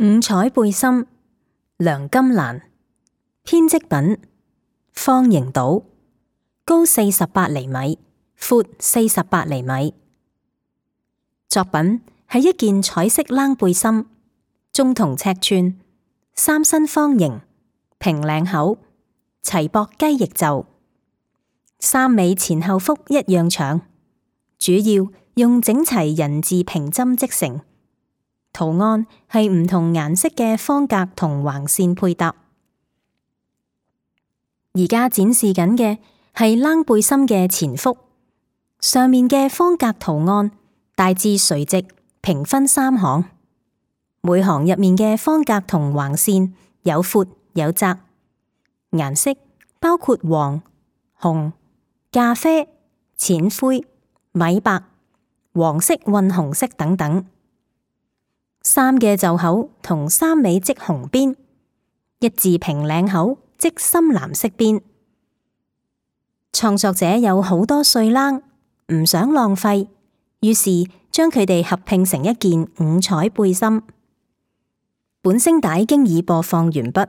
五彩背心，梁金蘭，編織品，方形島，高48厘米，闊48厘米。作品係一件彩色冷背心，中筒尺寸，三身方形，平領口，齊膊雞翼袖，衫尾前後幅一樣長，主要用整齊人字平針織成。圖案係唔同顏色嘅方格同橫線配搭。而家展示緊嘅係冷背心嘅前幅，上面嘅方格圖案大致垂直，平分3行，每行入面嘅方格同橫線有闊有窄，顏色包括黃、紅、咖啡、淺灰、米白、黃色混紅色等等。衫嘅袖口同衫尾織紅邊，一字平領口織深藍色邊。創作者有好多碎冷，唔想浪費，於是將佢哋合拼成一件五彩背心。本聲帶經已播放完畢。